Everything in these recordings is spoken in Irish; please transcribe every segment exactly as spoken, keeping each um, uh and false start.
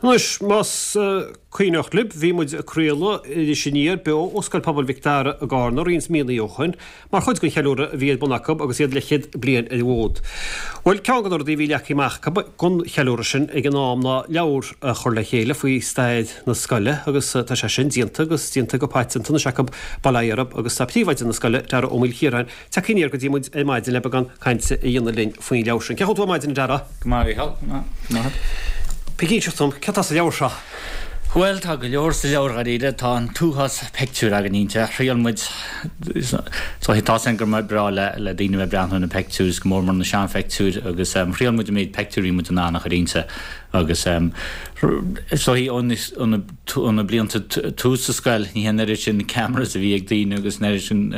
Anois, más cuimhneach libh, bhí muid ag craoladh Iris Aniar beo ó Scoil Pobail Mhic Dara i gCarna roinnt míonna ó shin, mar chuid den cheiliúradh a bhí ar bun acu agus iad leathchéad bliain ar an bhfód. Bhuel, ceann de na rudaí a bhí leagtha amach acu don cheiliúradh sin ag an am ná leabhar a chur le chéile faoi stair na scoile agus tá sé sin déanta agus déanta go paiteanta anois acu, bail ó Dhia orthu, agus tá príomhoide na scoile, Dara Ó Maoilchiaráin, tagtha aniar go dtí muid ar maidin le beagán cainte a dhéanamh linn faoin leabhar sin. Cén chaoi a bhfuil tú ar maidin, a Dara? Go maith, a Mhícheáil. Go maith. Go maith. Ag inseacht dom, céard tá sa leabhar seo? Bhuel, tá go leor sa leabhar dháiríre. Tá an t-uafás peictiúr againn inti. Thriail muid, so tá 'fhios againn gur breá le le daoine bheith ag breathnú ar na peictiúir, is go mór mór na seanpheictiúir agus thriail muid an méid peictiúr a bhí muid in ann a chur inti agus so ó na ó na blianta tús sa scoil, ní hé an oiread sin cameras a bhí ag daoine agus an oiread sin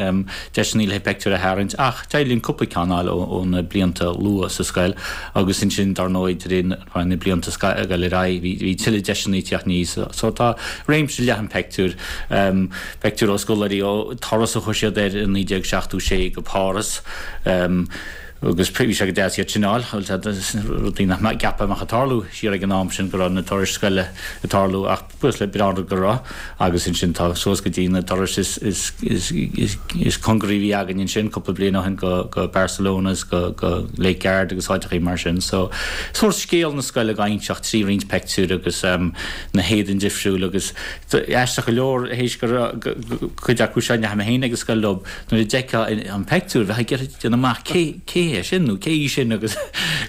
deiseanna le peictiúir a tharraingt ach d'éirigh linn cúpla ceann a fháil ó na blianta luath sa scoil agus ansin dar ndóigh de réir na blianta ag dul ar aghaidh bhí tuilleadh deiseanna ag teacht aníos. So tá réimse leathan peictiúr, peictiúr ó scoláirí ó turas a chuir siad air i naoi déag seachtó sé go Páras agus bhí sé go deas iad sin a fháil, rudaí nach gceapfá a mbeadh ag tarlú siar ag an am sin go raibh na turais scoile ag tarlú ach Buíochas le breá an rud go raibh agus ansin tá suas go dtí na turais is is is is is cóngaraí a bhí againn ansin cúpla bliain ó shin go go Barcelona is go go Lake Garda agus áiteachaí mar sin. So sórt scéal na scoile á inseacht trí roinnt peictiúir agus um, na héadain difriúil agus aisteach go leor théis go raibh cuid acu seo ndeachaigh mé féin ag an scoil leo nuair a d'fheicfeá an peictiúr bheifeá ag iarraidh déanamh amach cé cé é sin nó cé í sin agus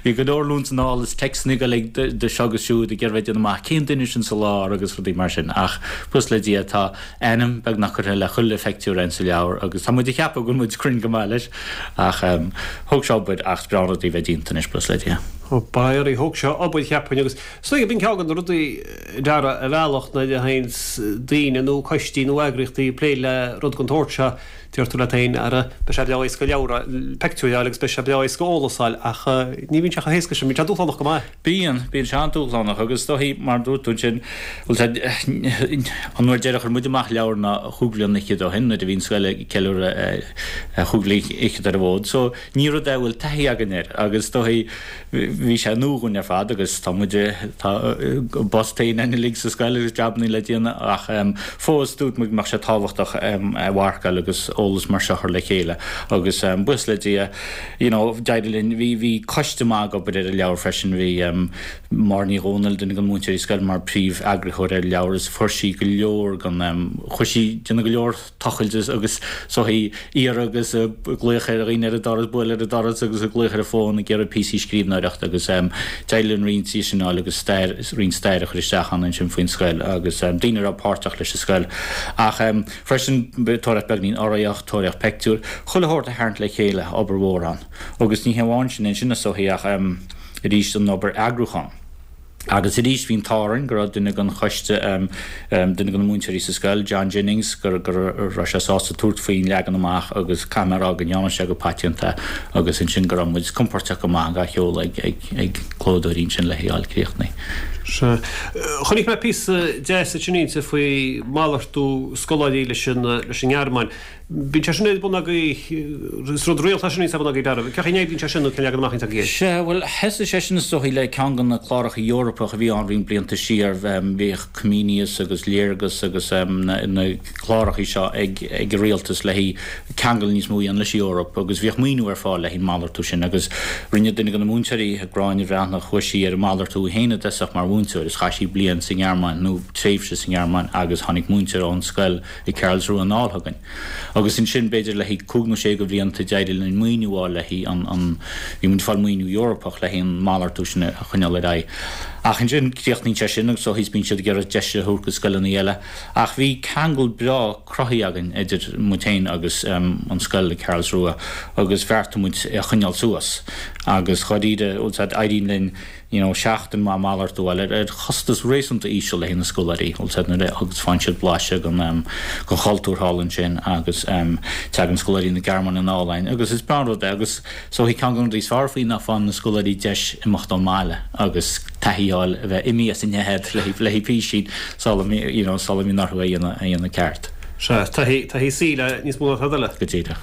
bhí go leor anonn is anall is téacsanna ag dul ag seo agus siúd ag iarraidh déanamh amach cén duine sin sa lár agus rudaí mar sin ach buíochas le Dia tá ainm beagnach curtha le chuile phictiúr ann sa leabhar agus tá muid ag ceapadh go bhfuil muid cruinn go maith leis ach thóg sé obair ach is breá an rud é bheith déanta anois buíochas le Dia. Ba é thóg sé obair cheapfainn agus is dóigh b'in ceann de na rudaí a Dhara ar bhealach nuair a théanns daoine nó coistí nó eagraíochtaí ag plé le rud den tsórt seo deir tú leat féin ara beidh sé breá éasca leabhar peictiúir a fháil agus beidh sé breá éasca eolas a fháil ach ní bhíonn sé chomh héasca sin, bíonn sé dúshlánach go maith. Bíonn, bíonn sé an-dúshlánach agus is dóichí mar a dúirt tú ansin, bhuel tá, an uair deireadh a chuir muid amach leabhar ná chúig bhliana fhichead ó shin nuair a bhí an scoil ag ceiliúradh chúig bhliain fhichead ar an bhfód so ní rud é a bhfuil taithí againn air agus is dóichí bhí sé nua dhúinn ar fad agus tá muid, tá a bpost féin againn uilig sa scoil agus jabannaí le déanamh ach fós dúirt muid go mbeadh sé tábhachtach a mharcáil agus eolas mar seo a chur le chéile agus buíochas le Dia you know d'éirigh linn, bhí, bhí coiste maith ag obair ar an leabhar freisin, bhí Máire Ní Dhomhnaill, duine de na múinteoirí scoile mar príomh eagraitheoir ar an leabhar is fuair sí go leor den, chuir sí, déanamh go leor tochailt agus so ag iarraidh agus ag glaoch ar dhaoine ar an doras, bualadh ar an doras agus ag glaoch ar an bhfón ag iarraidh píosaí scríbhneoireachta agus d'éirigh linn roinnt díobh sin a fháil agus stair, roinnt stair a chur isteach ann ansin faoin scoil agus daoine a raibh páirteach leis an scoil. Ach freisin tóraíocht beagnín urraíocht, tóraíocht peictiúr, chuile shórt a tharraingt le chéile, obair mhór ann. Agus ní hé amháin sin ansin is dóichí ach arís an obair eagrúcháin. Agus arís bhí an t-ádh orainn go raibh duine den choiste, duine de na múinteoirí sa scoil, John Jennings, go raibh sé sásta tabhairt faoin leagan amach agus caithfidh mé a rá go ndearna sé go paiteanta agus ansin go raibh muid compóirteach go maith dhá sheoladh ag ag clódóirí ansin le hé a fháil críochnaithe. Sea. Chonaic mé píosa deas ansin inti faoi malartú scoláirí leis an nGearmáin. Bíonn sé sin ar bun agaibh, is rud rialta é sin a bhíonns ar bun agaibh, a Dhara. Cén chaoi a n-oibríonn sé sin nó cén leagan amach a bhíonns agaibh air? Sea, bhuel, thosaigh sé sin is dóichí le ceann de na cláracha Eorpach a bhí ann roinnt blianta siar. Bhíodh Comenius agus Léargas agus na cláracha seo ag ag an rialtas le haghaidh ceangal níos mó a dhéanamh leis an Eoraip agus bhíodh maoiniú ar fáil le haghaidh an malartú sin agus rinne duine de na múinteoirí, Gráinne Bhreathnach, chuaigh sí ar an malartú í féin i dtosach mar mhúinteoir is chaith sí bliain sa nGearmáin nó tréimhse sa nGearmáin agus tháinig múinteoir ón scoil i Karlsruhe anall chugainn. Agus ansin, b'fhéidir le haghaidh cúig nó sé de bhlianta, d'éirigh linn maoiniú a fháil le haghaidh an, an, bhí muid ag fáil maoiniú Eorpach le haghaidh an malartú sin a choinneáil ar aghaidh. Ach ansin, críochnaíonn sé sin agus ó thíos bíonn siad ag iarraidh deis a thabhairt go scoileanna eile. Ach bhí ceangal breá cruthaithe againn idir muid féin agus an scoil i Karlsruhe agus bheartaigh muid é a choinneáil suas. Agus dháiríre, éiríonn linn, you know seachtain maith malartú a fháil ar chostas réasúnta íseal le haghaidh na scoláirí, bhfuil 's a'd, nuair a agus faigheann siad blaiseadh den den chultúr thall ansin agus tagann scoláirí na Gearmáine anall againn agus is breá an rud é agus is dóichí ceann de na rudaí is fearr faoi ná faigheann na scoláirí deis imeacht ón mbaile agus taithí a fháil a bheith imithe as a nead le le haghaidh písín sula you know sula mbíonn orthu é a dhéanamh a dhéanamh ceart. Sea, taithí taithí saoil é níos mó ná tada eile. Go díreach.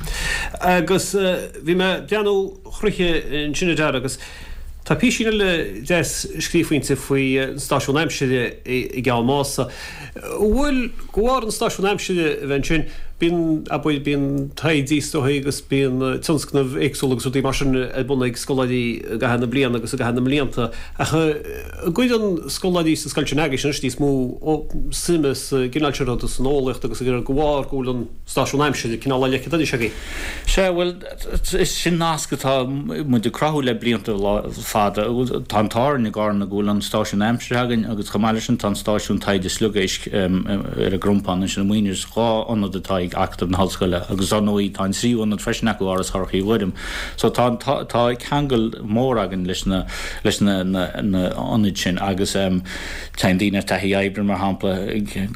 Agus bhí mé ag breathnú thríthi ansin a Dhara agus Tá písín eile deas scríofa inti faoi an stáisiún aimsire i gCeann Mása. Bhfuil go bhar an stáisiún aimsire a bheith ansin, bíonn, abair, bíonn taighde is dóigh agus bíonn tionscnaimh éagsúla agus rudaí mar sin ar bun ag scoláirí i gcaitheamh na bliana agus i gcaitheamh na mblianta. Ach an gcuireann scoláirí sa scoil sin agaibhse anois níos mó suime sa gcineál sin ruda, san eolaíocht agus go bharr go bhfuil an stáisiún aimsire cineál á leiceadh anois agaibh? Sea, bhuel, is sin nasc atá muid ag cruthú le blianta fada. Tá an t-ádh orainn i gCarna go bhfuil an stáisiún aimsire againn agus chomh maith leis sin tá an stáisiún taighde sliogéisc ar an gCrompán ansin i Muighnis, dhá ionad atá ag Acadamh na hOllscoile agus dar ndóigh tá an tríú ionad freisin acu, Áras Chorca Mhuire. So tá tá ceangal mór againn leis na leis na na na ionaid sin agus téann daoine ar taithí oibre mar shampla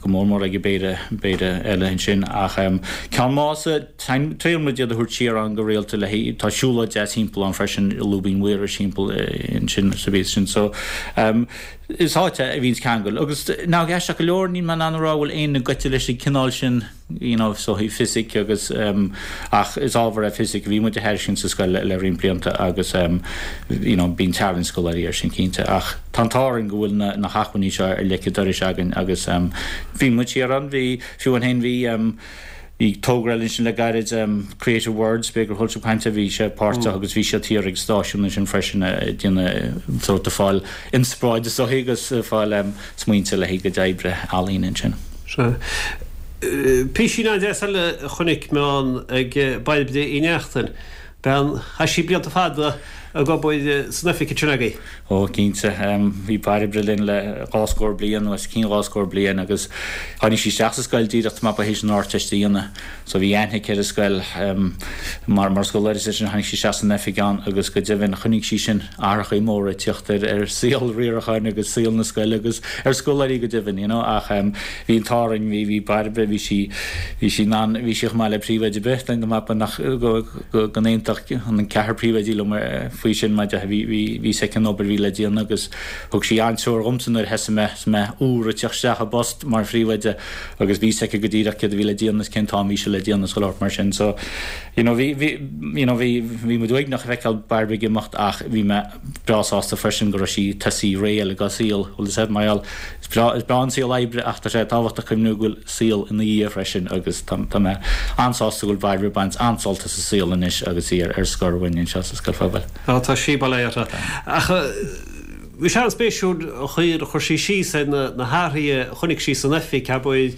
go mór mór ag péire péire eile ansin ach Ceann Mása, Triaileann muid iad a thabhairt siar ann go rialta le haghaidh, tá siúlóid deas thimpeall ann freisin, Lúibín Mhaorais thimpeall ansin sa bhíos sin. So, is áit é a bhíonns ceangal. Agus now aisteach go leor, níl mé in ann a rá bhfuil éinne goite leis an cineál sin, you know, so fisic agus ach is ábhar é fisic a bhí muid a thairiscint sa scoil le roinnt blianta agus you know, bíonn tarraingt scoláirí air sin cinnte. Ach tá an t-ádh orainn go bhfuil na na hacmhainní seo ar leic an dorais againn agus bhí muid siar ann, bhí, fiú amháin féin bhí, Bhí togra eile ansin le gairid, Creative Words, b'fhéidir gur chuala sibh caint air, bhí sé páirteach agus bhí siad thiar ag an stáisiún ansin freisin ag déanamh sórt ag fáil inspioráid is dóigh agus ag fáil smaointe le haghaidh a gcuid oibre ealaíne ansin. Sea. Písín an-deas eile a chonaic mé ann ag Bairbre Uí Neachtain. Bean, chaith sí blianta fada ag obair san oifig ansin agaibh. Ó, cinnte. Bhí Bairbre linn le dhá scór bliain, nó os cionn dhá scór bliain, agus tháinig sí isteach sa scoil díreach tapa théis an Ardteist a dhéanamh. So bhí aithne aici ar an scoil mar mar scoláire, is ansin tháinig sí isteach san oifig ann agus go deimhin chonaic sí sin athrachaí móra ag teacht ar ar saol riaracháin agus saol na scoile agus ar scoláirí go deimhin, you know. Ach bhí an t-ádh orainn, bhí bhí Bairbre, bhí sí bhí sí in ann, bhí sí chomh maith le príomhoide ar bith, dá mba nach go go go n-aontódh an ceathrar príomhoidí liom faoi sin maidir bhí bhí bhí a fhios aici an obair a bhí le déanamh agus thug sí an-treoir dhomsa nuair a thosaigh mé is mé úr ag teacht isteach i bpost mar phríomhoide agus bhí a fhios aici go díreach céard a bhí le déanamh is cén t-am a bhí sé le déanamh is chuile shórt mar sin so you know bhí bhí you know bhí bhí muid uaigneach a feiceáil Bairbre ag imeacht ach bhí mé breá sásta freisin go raibh sí ag tosaí ré eile dá saol bhfuil a fhios agat mar gheall is breá is breá an saol oibre ach tá sé tábhachtach cuimhniú go bhfuil saol ina dhiaidh freisin agus tá tá mé an-sásta go bhfuil Bairbre ag baint an-sult as an saol anois agus í ar ar scor uainn anseo sa Scoil Phobail. Á tá sí bail uirthi. Ach bhí sé an-spéisiúil an chaoi ar chuir sí síos ar na na hathruithe a chonaic sí san oifig, abair,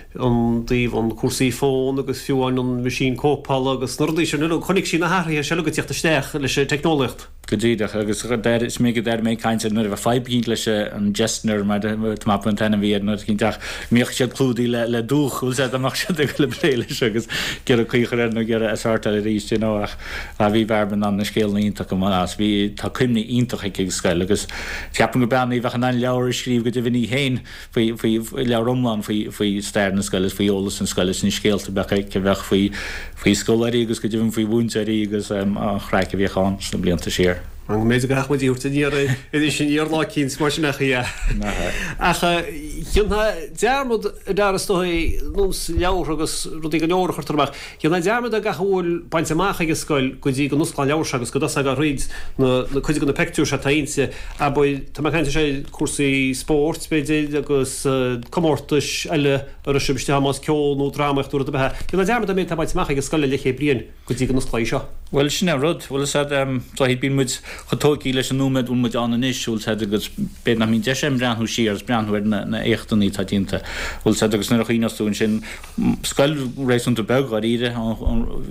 i dtaobh an cúrsaí fón agus fiú amháin an meaisín cóipeála agus na rudaí sin uilig, chonaic sí na hathruithe seo uilig ag tíocht isteach leis an teicneolaíocht. Go díreach, agus is minic a d'airigh mé ag caint air nuair a bheadh fadhb eicínt leis an Jessner mar tá mé ag ceapadh an t-ainm a bhí air nuair eicínt ach mbíodh siad clúdaithe le le dúch, bhfuil a fhios agat, dá mbeadh siad ag dul ag plé leis agus ag iarraidh caoi a chur air nó ag iarraidh é a shortáil arís, you know, ach bhí Bairbre in ann na scéalna iontach go maith as, bhí, tá cuimhní iontach aici ag an scoil agus ceapaim gur bean í a bheadh in ann leabhar a scríobh go deimhin í féin. faoi, faoi, leabhar iomlán faoi, faoi stair na scoile is faoi eolas na scoile is na scéalta a bheadh aici a bheadh faoi, faoi scoláirí agus go deimhin faoi mhúinteoirí agus an chraic a bhíodh ann sna blianta siar. An mbeidh gach muid a thabhairt aniar anois aniar lá eicínt mar sin ach ea. Ach dhéanfá dearmad a Dara is dóigh nós leabhartha agus rudaí go leor a chuirtear amach. Dhéanfá dearmad ar gach a bhfuil bainte amach ag an scoil go dtí go n-osclófá an leabhar seo agus go dtosófá thríd na, na cuid de na peictiúir seo atá inti. Abair, tá mé ag caint ar cúrsaí spóirt, b'fhéidir, agus comórtais eile a raibh sibh istigh ann, más ceol nó drámaíocht nó rud ar bith é. Dhéanfá dearmad an méid atá bainte amach ag an scoil le leathchéad bliain go dtí go n-osclófá í seo. Bhuel, sin é an rud. Bhuel, is ea, bíonn muid chomh tógtha leis an nóiméad a bhfuil muid ann anois, bhfuil 's a'd, agus b'fhéidir nach mbíonn deis againn breathnú siar agus breathnú ar na éachtanna atá déanta, bhfuil 's a'd, agus nuair a chuimhneos tú ansin, scoil réasúnta beag dháiríre,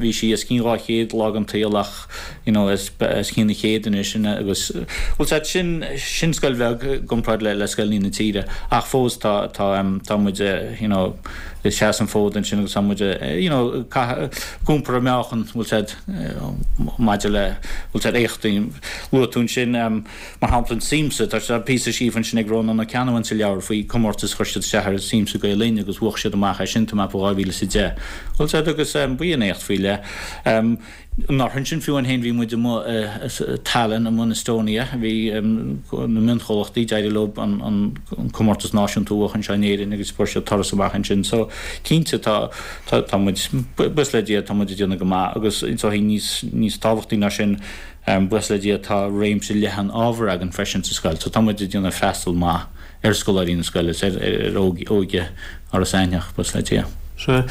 bhí sí os cionn dhá chéad lá den tsaol ach, you know, os cionn an chéad anois agus, bhfuil 's a'd, sin, sin scoil bheag i gcomparáid le, le scoileanna na tíre ach fós tá, tá, tá muid, you know, ag seasamh an fód ansin agus tá muid, you know, ag iompar an meáchan, bhfuil 's a'd, maidir le, bhfuil 's a'd, éachtaí. Luaigh tú ansin, mar shampla, an Siamsa, tá píosa scríofa ansin ag Rónán Ó Ceannabháin sa leabhar faoi comórtas a chuir siad isteach ar an Siamsa Gael Linn agus bhuaigh siad amach é sin, tá mé ag ceapadh dhá mhíle is a deich. Bhfuil 's a'd, agus b'in éacht faoi leith. An ansin fiú amháin bhí muid amuigh Tallinn amuigh in Estonia, bhí na mionchomhlachtaí d'éirigh leo an comórtas náisiúnta a bhuachan anseo in Éirinn agus fuair siad turas amach ansin. So cinnte tá tá muid, buíochas le Dia, tá muid ag déanamh go maith agus is dóigh níos níos tábhachtaí ná sin buíochas le Dia tá réimse leathan ábhar againn freisin sa scoil. So tá muid ag déanamh freastal maith ar scoláirí na scoile, ar ar óige Iorras Aithneach, buíochas le Dia. Sea.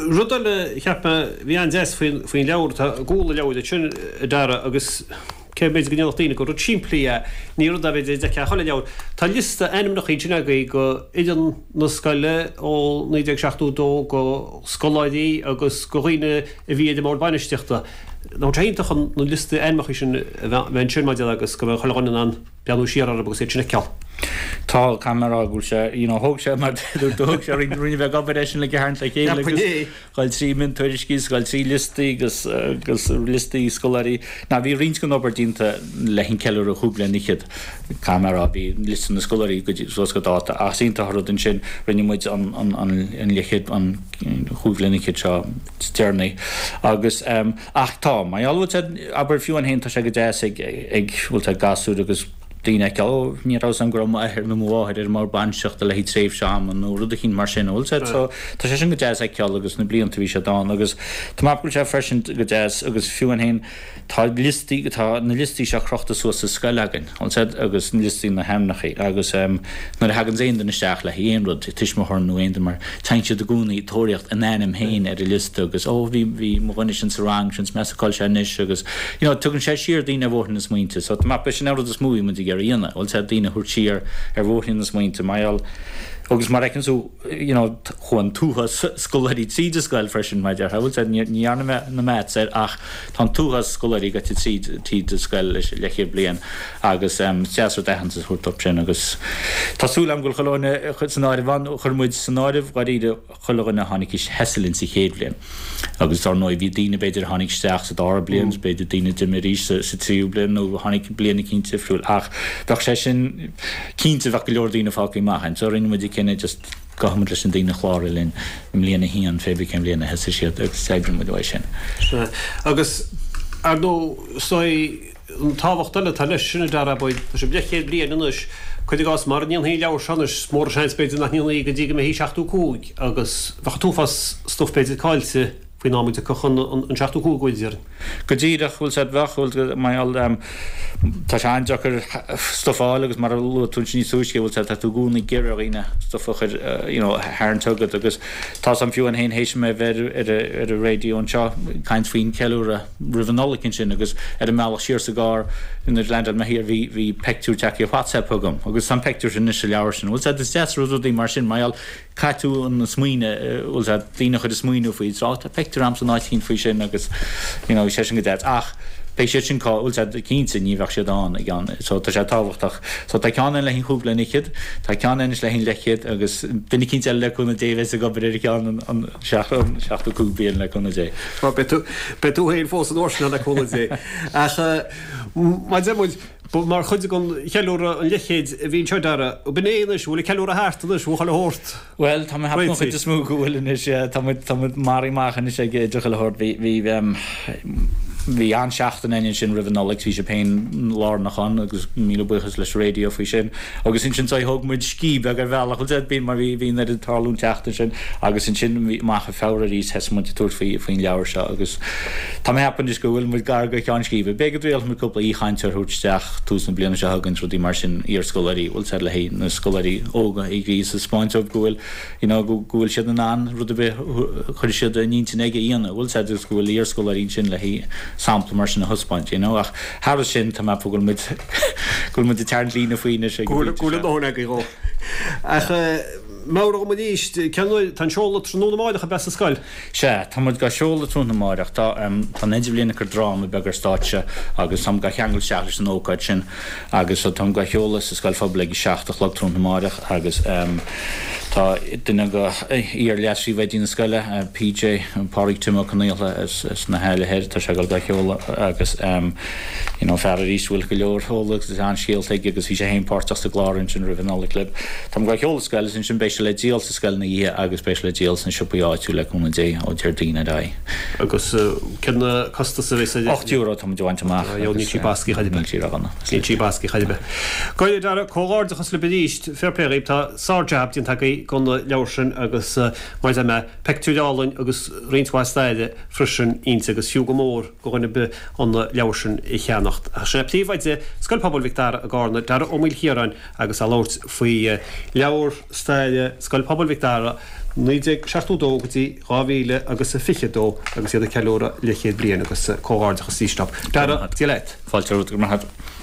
Rud eile a cheap mé a bhí an-deas faoin leabhar, tá i gcúl an leabhair ansin, a Dara, agus cé b'fhéidir go ndéarfadh daoine gur rud simplí é, ní rud é b'fhéidir a d'fheicfeá chuile leabhar. Tá liosta ainmneacha ansin agaibh go fhoireann na scoile ó naoi déag seachtó dó go scoláirí agus go dhaoine a bhí ar an mbord bainistíochta. Nach bhfuil sé iontach an na liosta ainmneacha sin a bheith ansin mar a déarfá agus go mbeadh chuile dhuine in ann breathnú siar orthu agus iad sin a fheiceáil. Tá, caithfidh mé a rá go bhfuil sé, you know, thóg sé mar dúirt tú, thóg sé roinnt roinnt bheag obair é sin le tharraingt le chéile agus dhul trí miontuairiscí is dhul trí liostaí agus agus liostaí scoláirí. Now bhí roinnt den obair déanta le an ceiliúradh chúig bliana fhichead, caithfidh mé a rá, bhí liosta na scoláirí go dtí suas go dáta ach is iontach an rud ansin rinne muid an an an an leathchéad an chúig bliana fhichead seo is deireanaí agus ach tá, mar gheall bhfuil sé, abair fiú amháin féin tá sé go deas ag ag bhfuil sé gasúir agus daoine a fheiceáil, ó ní raibh 'fhios a'm go raibh m'athair nó mo mháthair ar an mbord bainistíochta le haghaidh tréimhse ama nó rud eicínt mar sin, bhfuil sé so tá sé sin go deas a fheiceáil agus na blianta a bhí siad ann agus tá mé ag ceapadh go bhfuil sé freisin go deas agus fiú amháin féin tá liostaí, tá na liostaí seo crochta suas sa scoil againn, bhfuil sé agus na liostaí na hainmneacha agus nuair a thaganns aon duine isteach le haghaidh aon rud, tuismitheoir nó aon duine mar, téann siad i gcónaí ag tóraíocht a n-ainm féin ar an liosta agus ó bhí, bhí mo dhuine sin sa rang sin, is measa cá bhfuil sé anois agus you know tugann sé siar daoine ar bhóithrín na smaointe so tá mé ag ceapadh sin an rud is mó a bhí muid ag iarraidh a dhéanamh, bhfuil sé daoine a thabhairt siar ar bhóithrín na smaointe mar gheall agus mar a fheiceann tú you know chuaigh an t-uafás scoláirí tríd an scoil freisin mar a déarfá, bhfuil sé ní dhearna mé na maths air ach tá an t-uafás scoláirí gaibhte tríd tríd an scoil leis leathchéad bliain agus is deas rud aitheantas a thabhairt dóibh sin agus tá súil agam go bhfuil chuile dhuine san áireamh ann, chuir muid san áireamh dháiríre chuile dhuine a tháinig thosaigh linn sa chéad bhliain agus dar ndóigh bhí daoine b'fhéidir a tháinig isteach sa dara bliain, b'fhéidir daoine a d'imigh arís sa, sa tríú bliain nó a tháinig bliain eicínt difriúil ach bheadh sé sin cinnte bheadh go leor daoine fágtha amach ann so rinne muid an cinneadh just gabhfaidh muid leis na daoine a chláraigh linn i mbliain a haon pé bith cén bhliain a thosaigh siad agus oibreoidh muid uaidh sin. Sea. Agus ar ndóigh is dóigh an tábhacht eile atá leis sin a Dara, tá sibh leathchéad bliain anois, cuir i gcás, mara ndéanfaí an leabhar seo anois, is mór an seans b'fhéidir nach ndéanfaí go dtí go mbeifí seachtó cúig agus bheadh an t-uafás stuif b'fhéidir caillte faoin am a dtiocfadh an seachtó cúig uair déarfainn. Go díreach, bhfuil sé, bheadh, bhfuil, mar gheall, tá sé an-deacair stuif a fháil agus mar a luaigh tú ansin níos túisce, bhfuil sé, tá tú i gcónaí ag iarraidh ar dhaoine stuif a chur, you know, a tharraingt chugat agus tá 's a'm fiú amháin féin théis mé bheith ar, ar an raidió anseo ag caint faoin cheiliúradh roimh an Nollaig ansin agus ar an mbealach siar sa gcarr nuair a leaindeáil mé thiar bhí, bhí peictiúr tagtha ar WhatsApp chugam agus tá an peictiúr sin anois sa leabhar sin. Bhfuil sé, is deas rud rudaí mar sin mar gheall caithfidh tú an smaoineamh, bhfuil sé, daoine a chur ag smaoineamh faoi, is rá tá peictiúr a'm san áit eicínt faoi sin agus you know bhí sé sin go deas ach beidh siad sin cá, bhfuil sé, cinnte ní bheadh siad ann i gceann, so tá sé tábhachtach. So tá ceann ann le haghaidh an chúig bliana fhichead, tá ceann anois le haghaidh an leathchéad agus duine eicínt eile le cúnamh Dé a bheas ag obair ar cheann an, an seachtó cúig bliain le cúnamh Dé. Bhuel beidh tú, beidh tú féin fós an uair sin le cúnamh Dé. Ach mar a deir muid, Ba mar chuid den cheiliúradh an leathchéid a bhí anseo, a Dara. B'in é anois, bhfuil an ceiliúradh thart anois, bhfuil chuile shórt Bhuel, tá mé ag ceapadh an réitithe? chuid is mó go bhfuil anois, yeah. Tá muid, tá muid maraithe amach anois ag idir chuile shórt. Bhí, bhí, em, bhí an-seachtain againn ansin roimh an Nollaig, bhí sibh féin lárnach ann agus míle buíochas leis an raidió faoi sin. Agus ansin so thóg muid scíth beag ar bhealach, bhfuil sé, bhí, mar bhí, bhí an oiread ag tarlú an tseachtain sin agus ansin bhí, amach i Feabhra arís thosaigh muid ag tabhairt faoi, faoin leabhar seo agus tá mé ag ceapadh anois go bhfuil muid gar do cheann scríbe. B'fhéidir go dtriailfidh muid cúpla aoichainteoir a thabhairt isteach tús na bliana seo chugainn, rudaí mar sin, iarscoláirí, bhfuil sé le haghaidh na scoláirí óga a ghríosadh, 'spáint dóibh go bhfuil, you know, go bhfuil siad in ann rud ar bith a chuirfidh siad a n-intinn aige a dhéanamh, bhfuil sé agus go bhfuil iarscoláirí ansin le haghaidh sampla mar sin a thaispeáint, you know, ach thairis sin tá mé ag ceapadh go bhfuil muid, go bhfuil muid ag tarraingt líne faoi anois ag Go an bhfuil, go bpointe bhfuil a seo. ndóthain agaibh dhó. Ach meabhraigh dom arís, cén uair, tá an seoladh tráthnóna amáireach ab ea sa scoil? Sea, tá muid dhá sheoladh tráthnóna amáireach. Tá tá an Idirbhliain ag cur dráma beag ar stáitse agus táim dhá cheangal isteach leis an ócáid sin agus so táim dhá sheoladh sa Scoil Phobail ag a seacht a chlog tráthnóna amáireach agus Tá duine de iar-leas-phríomhoidí na scoile, PJ, Pádraig Tim Ó Conaola as as na hAille Thoir, tá sé ag dul dá sheoladh agus you know fear arís a bhfuil go leor eolas agus an-scéalta aige agus bhí sé féin páirteach sa gclár ansin roimh an Nollaig libh. Táim ag dul a sheoladh sa scoil agus ansin beidh sé le díol sa scoil ina dhiaidh agus beidh sé le díol sna siopaí áitiúla le cúnamh Dé ó Déardaoin ar aghaidh. Agus cén costas a bheas air? Ocht euro tá muid a bhaint amach. Níl sí basctha chor ar bith. Níl sí ródhona. Níl sí basctha chor ar bith. Go deimhin, Dara, comhghairdeachas libh arís. Fair play dhaoibh, tá sár-jab déanta agaibh gon leabhar sin agus mar a deir mé, peictiúir álainn agus roinnt mhaith staire freisin inti agus fiú go mór go dhuine ar bith an leabhar sin a cheannacht. Ach sin é Príomhoide Scoil Pobail Mhic Dara i gCarna, Dara Ó Maoilchiaráin agus é ag labhairt faoi leabhar staire Scoil Pobail Mhic Dara naoi déag seachtó dó go dtí dhá mhíle agus a fiche dó agus iad ag ceiliúradh leathchéad bliain agus comhghairdeachas arís leo. Dara, Dia leat. Fáilte romhat, go raibh maith agat.